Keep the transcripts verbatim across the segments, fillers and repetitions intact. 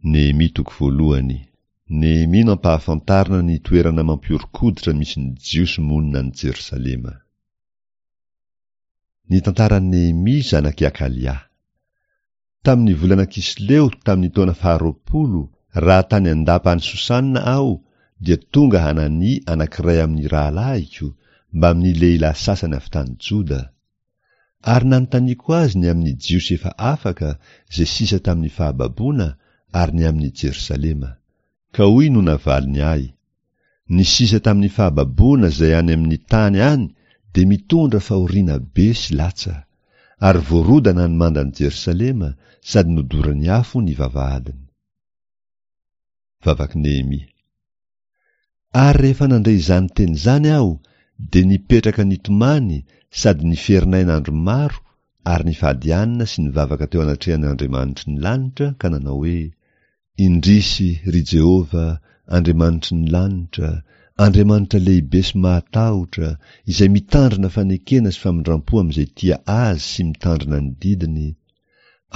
Nehemia toko voalohany. Nehemia nampahafantarina ny toerana mampihoron-koditra misy ny Jiosy monina any Jerosalema. Ny tantaran'i Nehemia zanak'i Akalia. Tamin'ny volana Kisleo tamin'ny taona faharoapolo, raha tany an-dapa any Sosana aho, dia tonga Hanania anankiray amin'ny rahalahiko, mbamin'ny lehilahy sasany avy tany Joda. Ary nanontaniako azy ny amin'ny Jiosy efa afaka, izay sisa tamin'ny fahababoana, ary ny amin'i Jerosalema. Ka hoy no navaliny ahy, Ny sisa tamin'ny fahababoana izay any amin'ny tany any dia mitondra fahoriana be sy latsa, ary voarodana ny mandan'i Jerosalema sady nodoran'ny afo ny vavahadiny. Vavak'i Nehemia. Ary rehefa nandre izany teny izany aho, dia nipetraka nitomany sady niferinaina andro maro ary nifady hanina sy nivavaka teo anatrehan'ny Andriamanitry ny lanitra ka nanao hoe, Indrisy, ry Jehovah, Andriamanitry ny lanitra, Andriamanitra lehibe sy mahatahotra, izay mitandrina fanekena sy famindram-po amin'izay tia Azy sy mitandrina ny didiny,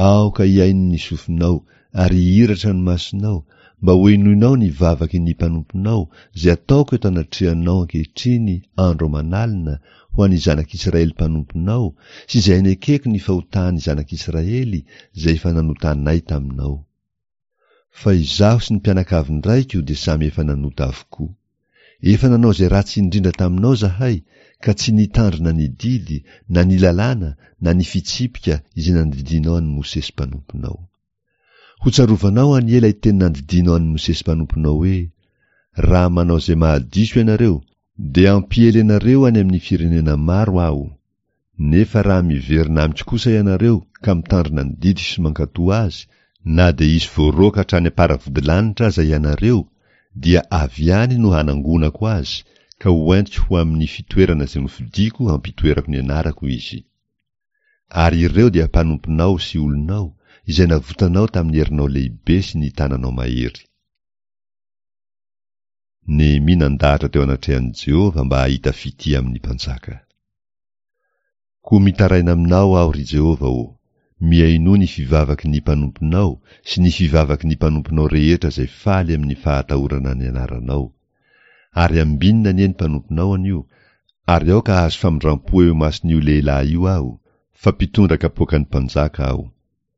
aoka hihaino ny sofinao ary hihiratra ny masonao, mba hohenoinao ny vavaky ny mpanomponao, izay ataoko eto anatrehanao ankehitriny andro aman'alina ho an'ny zanak'Israely mpanomponao, sy izay anekeko ny fahotan'ny zanak'Israely izay efa nanotanay taminao. Fa izaho sy ny mpianakavin-draiko dia samy efa nanota avokoa. Efa nanao izay ratsy indrindra taminao izahay, ka tsy nitandrina ny didy, na ny lalàna, na ny fitsipika izay nandidianao an'i Mosesy mpanomponao. Hotsarovanao anie ilay teny nandidianao an'i Mosesy mpanomponao hoe, Raha manao izay mahadiso ianareo, dia hampiely anareo any amin'ny firenena maro Aho. Nefa raha miverina amiko kosa ianareo ka mitandrina ny didiko sy mankatò azy, na dia hisy voaroaka hatrany am-paravodilanitra aza ianareo, dia avy any no hanangonako azy, ka hoentiko ho amin'ny fitoerana izay nofidiko hampitoerako ny anarako izy. Ary ireo dia mpanomponao sy olonao, izay navotanao tamin'ny herinao lehibe sy ny tananao mahery. Nehemia nandahatra teo anatrehan'i Jehovah mba hahita fitia amin'ny mpanjaka. Koa mitaraina aminao aho, ry Jehovah ô, mihainoa ny fivavaky ny mpanomponao sy ny fivavaky ny mpanomponao rehetra izay faly amin'ny fahatahorana ny anaranao. Ary ambinina anie ny mpanomponao anio, ary aoka hahazo famindram-po eo imason'io lehilahy io aho, fa mpitondra kapoakan'ny mpanjaka aho.